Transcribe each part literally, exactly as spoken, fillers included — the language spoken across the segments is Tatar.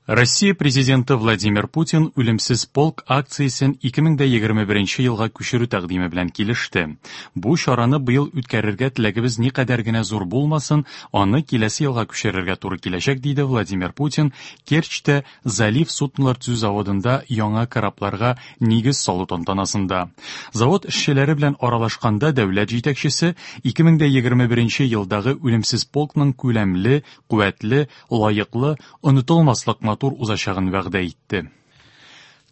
Россия Президенты Владимир Путин «Үлемсез полк» акциясен ике мең дә егерме беренче елга күчерү тәкъдиме белән килеште. Бу чараны быел үткәрергә теләгебез никадәр генә зур булмасын, аны киләсе елга күчерергә туры киләчәк, диде Владимир Путин Керчьтә Залив суднолар төзү заводында яңа корабларга нигез салу тантанасында. Завод эшчеләре белән аралашканда дәүләт җитәкчесе ике мең дә егерме беренче елдагы «Үлемсез полкның» күләмле, куәтле, лаеклы, онытылмаслык матур узачагын вәгъдә итте.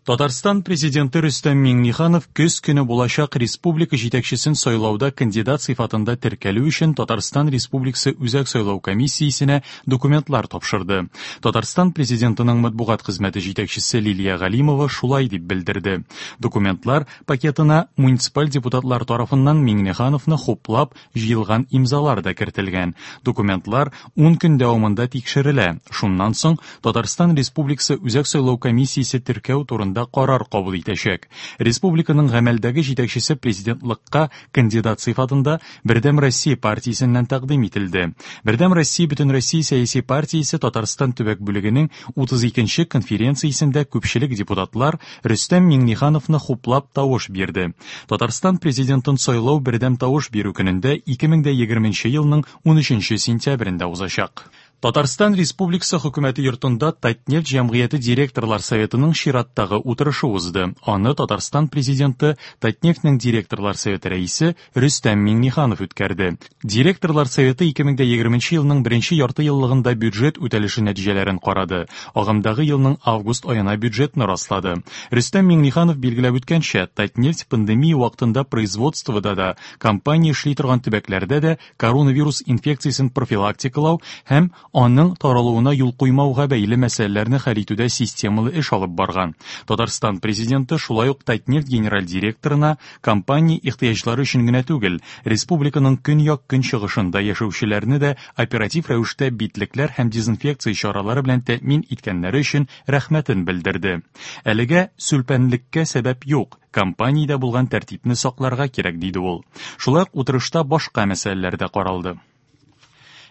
Татарстан президенты Рөстәм Миңнеханов көз көне булачак республика җитәкчесен сайлауда кандидат сыйфатында теркәлү өчен Татарстан Республикасы Үзәк сайлау комиссиясенә документлар тапшырды. Татарстан президентының матбугат хезмәте җитәкчесе Лилия Галимова шулай дип белдерде. Документлар пакетына муниципаль депутатлар тарафыннан Миңнехановны хуплап җыелган имзалар да кертелгән. Документлар ун көн дәвамында тикшерелә. Шуннан соң Татарстан Республикасы Үзәк сайлау комиссиясе теркәү турында карар кабул итәчәк. Республиканың гамәлдәге җитәкчесе президентлыкка кандидат сыйфатында Бердәм Россия партиясеннән тәкъдим ителде. Бердәм Россия Бөтенроссия сәяси партиясе Татарстан төбәк бүлегенең утыз икенче конференциясендә күпчелек депутатлар Рөстәм Миңнехановны хуплап тавыш бирде. Татарстан президентын сайлау бердәм тавыш бирү көнендә ике мең дә егерменче елның унөченче сентябрендә узачак. Татарстан Республикасы хөкүмәте йортында Татнефть җәмгыяте директорлар советының чираттагы утырышы узды. Аны Татарстан президенты Татнефтьнең директорлар советы рәисе Рөстәм Миңнеханов үткәрде. Директорлар советы ике мең дә егерменче елның беренче ярты еллыгында бюджет үтәлеше нәтиҗәләрен карады. Агымдагы елның август аена бюджетны раслады. Рөстәм Миңнеханов билгеләп үткәнчә, Татнефть пандемия вакытында производствода да, компания эшли торган төбәкләрдә дә коронавирус инфекциясен профилактикалау һәм аның таралуына юл куймауга бәйле мәсьәләләрне хәл итүдә системалы эш алып барган. Татарстан президенты шулай ук Татнефть генераль директорына компания ихтыяҗлары өчен генә түгел, республиканың көньяк-көнчыгышында яшәүчеләрне дә оператив рәвештә битлекләр һәм дезинфекция чаралары белән тәэмин иткәннәре өчен рәхмәтен белдерде. Әлегә сүлпәнлеккә сәбәп юк, компаниядә булган тәртипне сакларга кирәк, диде ул. Шулай ук утырышта башка мәсьәләләр дә каралды.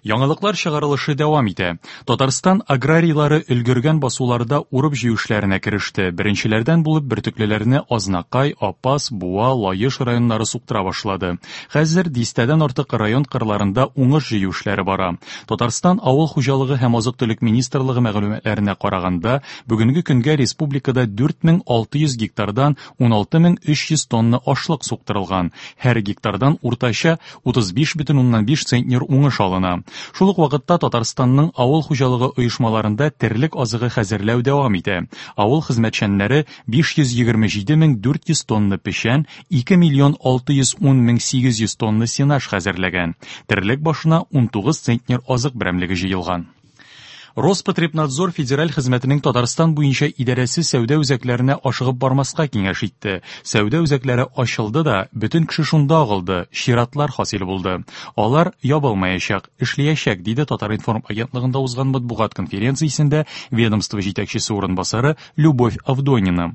Яңалыклар чыгарылышы дәвам итә. Татарстан аграрийлары өлгергән басуларда урып җыю эшләренә кереште. Беренчеләрдән булып бөртеклеләрне Азнакай, Апас, Буа, Лаеш районнары суктыра башлады. Хәзер дистәдән артык район кырларында уңыш җыю эшләре бара. Татарстан Авыл хуҗалыгы һәм азык-төлек министрлыгы мәгълүматларына караганда, бүгенге көнгә республикада дүрт мең алты йөз гектардан уналты мең өч йөз тонна ашлык суктырылган. Һәр гектардан уртача утыз биш бөтен уннан биш центнер уңыш алына. Шул ук вакытта Татарстанның авыл хуҗалыгы оешмаларында терлек азыгы хәзерләү дәвам итә. Авыл хезмәтчәннәре биш йөз егерме җиде мең дүрт йөз тонна печән, ике миллион алты йөз ун мең сигез йөз тонна сенаж хәзерләгән. Терлек башына унтугыз центнер азык берәмлеге җыелган. Роспотребнадзор федераль хезмәтенең Татарстан буенча идарәсе сәүдә үзәкләренә ашыгып бармаска киңәш итте. Сәүдә үзәкләре ачылды да, бөтен кеше шунда агылды, чиратлар хасил булды. Алар ябылмаячак, эшләячәк, диде Татар-информ агентлыгында узган матбугат конференциясендә ведомство җитәкчесе урынбасары Любовь Авдонина.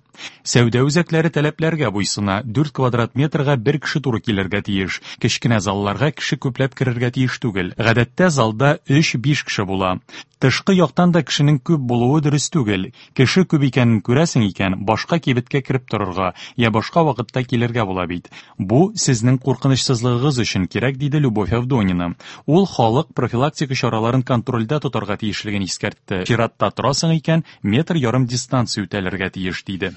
Сәүдә үзәкләре таләпләргә буйсына, дүрт квадрат метрга бер кеше туры килергә тиеш. Кечкенә залларга кеше күпләп керергә тиеш түгел. Гадәттә залда өч-биш кеше була. Тышкы яктан да кешенең күп булуы дөрес түгел. Кеше күп икәнен күрәсең икән, башка кибеткә кереп торырга, я башка вакытта килергә була бит. Бу сезнең куркынычсызлыгыгыз өчен кирәк, диде Любовь Авдонина. Ул халык профилактика чараларын контрольдә тотарга тиешлеген искәртте. Чиратта торасың икән, метр ярым дистанция үтәлергә тиеш, диде.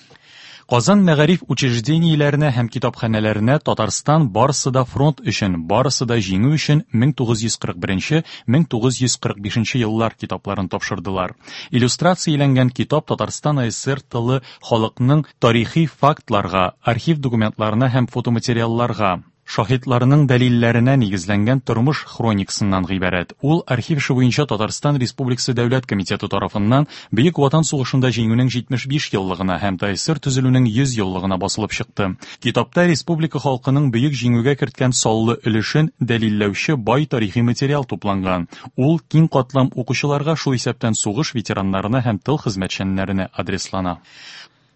Казан мәгариф учреждениеләренә һәм китапханәләренә Татарстан барысы да фронт өчен, барысы да җиңү өчен мең тугыз йөз кырык беренче, мең тугыз йөз кырык бишенче еллар китапларын тапшырдылар. Иллюстрацияләнгән китап Татарстан А Эс Эс Эр тылы халыкның тарихи фактларга, архив документларына һәм фотоматериалларга, шаһитларының дәлилләренә нигезләнгән тормыш хроникасыннан гыйбарәт. Ул архив эше буенча Татарстан Республикасы Дәүләт комитеты тарафыннан Бөек Ватан сугышында җиңүнең җитмеш биш еллыгына һәм Т Э Эс Эс Эр төзелүнең йөз еллыгына басылып чыкты. Китапта республика халкының бөек җиңүгә керткән саллы өлешен дәлилләүче бай тарихи материал тупланган. Ул киң катлам укучыларга, шул исәптән сугыш ветераннарына һәм тыл хезмәтчәннәренә адреслана.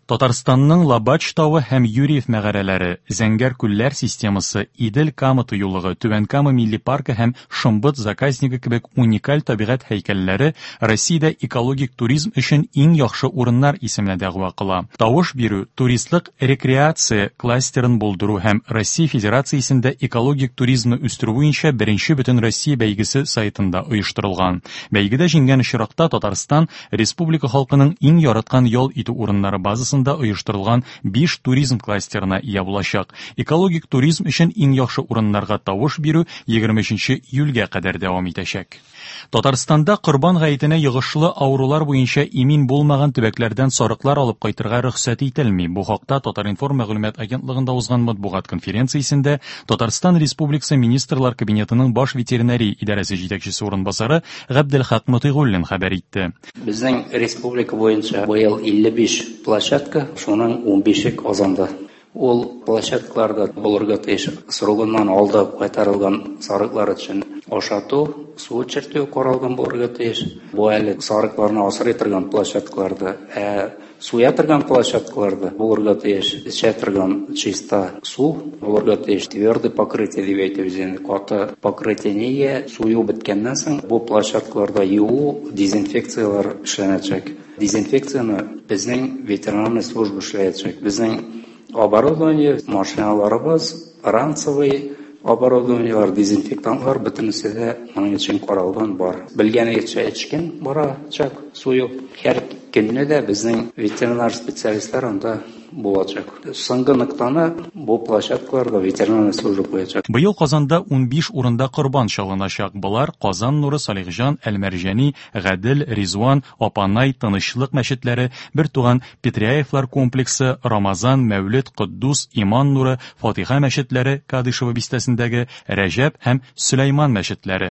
Татарстанның Лобач тавы һәм Юрьев мәгарәләре, Зәңгәр күлләр системасы, Идел-Кама тыюлыгы, Түбән Кама милли паркы һәм Шомбыт заказнигы кебек уникаль табигать һәйкәлләре Россиядә экологик туризм өчен иң яхшы урыннар исеменә дәгъва кыла. Тавыш бирү туристлык рекреация кластерын булдыру һәм Россия Федерациясендә экологик туризмны үстерү буенча беренче бөтенроссия бәйгесе сайтында оештырылган. Бәйгедә җиңгән очракта Татарстан республика халкының иң яраткан ял итү урыннары базасында оештырылган биш туризм кластерына ия булачак. Экологик туризм өчен иң яхшы урыннарга тавыш бирү егерме өченче июльгә кадәр дәвам итәчәк. Татарстанда Корбан гаетенә йогышлы авырулар буенча имин булмаган төбәкләрдән сарыклар алып кайтырга рөхсәт ителми. Бу хакта Татар-информ мәгълүмат агентлыгында узган матбугат конференциясендә Татарстан Республикасы Министрлар Кабинетының баш ветеринария идарәсе җитәкчесе урынбасары Габделхак Мотыйгуллин хәбәр итте. Безнең республика буенча быел илле биш площадка, шуның унбише Казанда. Ул площадкаларда булырга тиеш срогыннан алда кайтарылган сарыклар өчен ашату, су эчертү каралган булырга тиеш. Бу әле сарыкларны асрый торган площадкаларда, ә суя торган площадкаларда булырга тиеш эчә торган чиста су булырга тиеш. Твердый покрытие дип әйтәбез инде, каты покрытие нигә? Сую беткәннән соң бу площадкаларда юу, дезинфекцияләр эшләнәчәк. Дезинфекцияне безнең ветеринарный служба эшләячәк. Безнең оборудование, машиналарыбыз, ранцевый оборудованиелар, дезинфектантлар бөтенесе дә моның өчен каралган бар. Белгәнегезчә эчкен барачак сую. Һәр көнне дә безнең ветеринар специалистлар анда булачак. Соңгы ноктаны бу площадкаларда ветеринарный служба куячак. Быел Казанда унбиш урында корбан чалыначак. Болар Казан нуры, Салихҗан, Әлмәрҗани, Гадел, Ризван, Апанай, Тынычлык мәчетләре, Бертуган Петряевлар комплексы, Рамазан, Мәүлет, Котдус, Иман нуры, Фатиха мәчетләре, Кадышево бистәсендәге Рәҗәп һәм Сөләйман мәчетләре.